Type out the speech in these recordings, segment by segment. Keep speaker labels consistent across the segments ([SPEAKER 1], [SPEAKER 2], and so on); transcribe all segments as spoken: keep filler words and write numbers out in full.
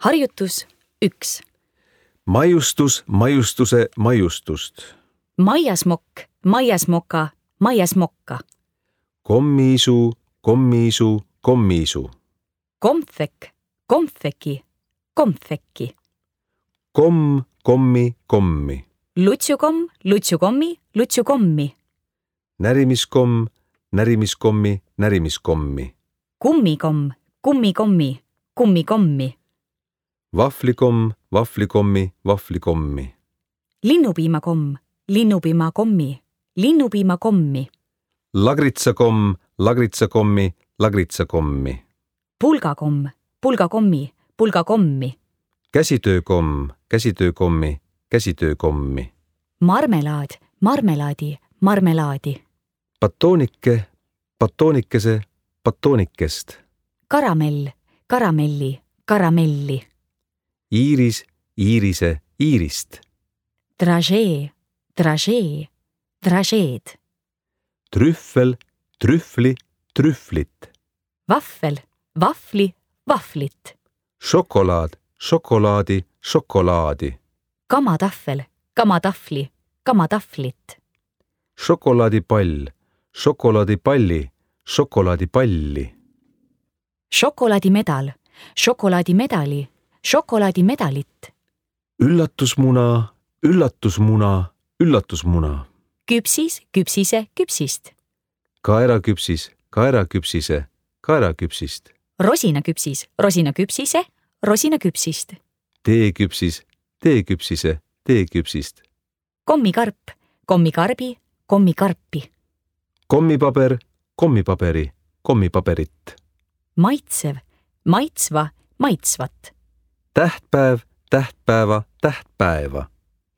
[SPEAKER 1] Harjutus üks.
[SPEAKER 2] Maiustus, maiustuse, maiustust.
[SPEAKER 1] Maiasmokk, maiasmoka, maiasmokka.
[SPEAKER 2] Kommiisu, kommiisu, kommiisu.
[SPEAKER 1] Komfek, komfeki, komfekki.
[SPEAKER 2] Komm, kommi, kommi.
[SPEAKER 1] Lutsukomm, lutsukommi, lutsukommi.
[SPEAKER 2] Närimiskomm, närimiskommi, närimiskommi.
[SPEAKER 1] Kummikomm, kummikommi, kummikommi.
[SPEAKER 2] Vahvlikomm, vahvlikommi, vahvlikommi.
[SPEAKER 1] Linnupiimakomm, linnupiimakommi, linnupiimakommi.
[SPEAKER 2] Lagritsakomm, lagritsakommi, lagritsakommi.
[SPEAKER 1] Pulgakomm, pulgakommi, pulgakommi.
[SPEAKER 2] Käsitöökomm, käsitöökommi, käsitöökommi.
[SPEAKER 1] Marmelaad, marmelaadi, marmelaadi.
[SPEAKER 2] Batoonike, batoonikese, batoonikest.
[SPEAKER 1] Karamell, karamelli, karamelli.
[SPEAKER 2] Iiris, iirise, iirist.
[SPEAKER 1] Dražee, dražee, dražeed.
[SPEAKER 2] Trüffel, trühvli, trühvlit.
[SPEAKER 1] Vahvel, vahvli, vahvlit.
[SPEAKER 2] Šokolaad, šokolaadi, šokolaadi.
[SPEAKER 1] Kamatahvel, kamatahvli, kamatahvlit.
[SPEAKER 2] Šokolaadipall, šokolaadipalli, šokolaadipalli.
[SPEAKER 1] Šokolaadimedal, šokolaadimedali, šokolaadimedalit.
[SPEAKER 2] Üllatusmuna, üllatusmuna, üllatusmuna.
[SPEAKER 1] Küpsis, küpsise, küpsist.
[SPEAKER 2] Kaeraküpsis, kaeraküpsise, kaeraküpsist.
[SPEAKER 1] Rosinaküpsis, rosinaküpsise, rosinaküpsist.
[SPEAKER 2] Teeküpsis, teeküpsise, teeküpsist.
[SPEAKER 1] Kommikarp, kommikarbi, kommikarpi.
[SPEAKER 2] Kommipaber, kommipaberi, kommipaberit.
[SPEAKER 1] Maitsev, maitsva, maitsvat.
[SPEAKER 2] Tähtpäev, tähtpäeva, tähtpäeva.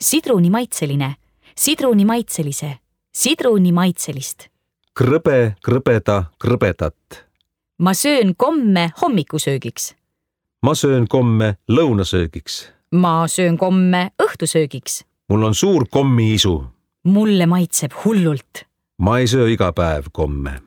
[SPEAKER 1] Sidrunimaitseline, sidrunimaitselise, sidrunimaitselist.
[SPEAKER 2] Krõbe, krõbeda, krõbedat.
[SPEAKER 1] Ma söön komme hommikusöögiks.
[SPEAKER 2] Ma söön komme lõunasöögiks.
[SPEAKER 1] Ma söön komme õhtusöögiks.
[SPEAKER 2] Mul on suur kommiisu.
[SPEAKER 1] Mulle maitseb hullult.
[SPEAKER 2] Ma ei söö iga päev komme.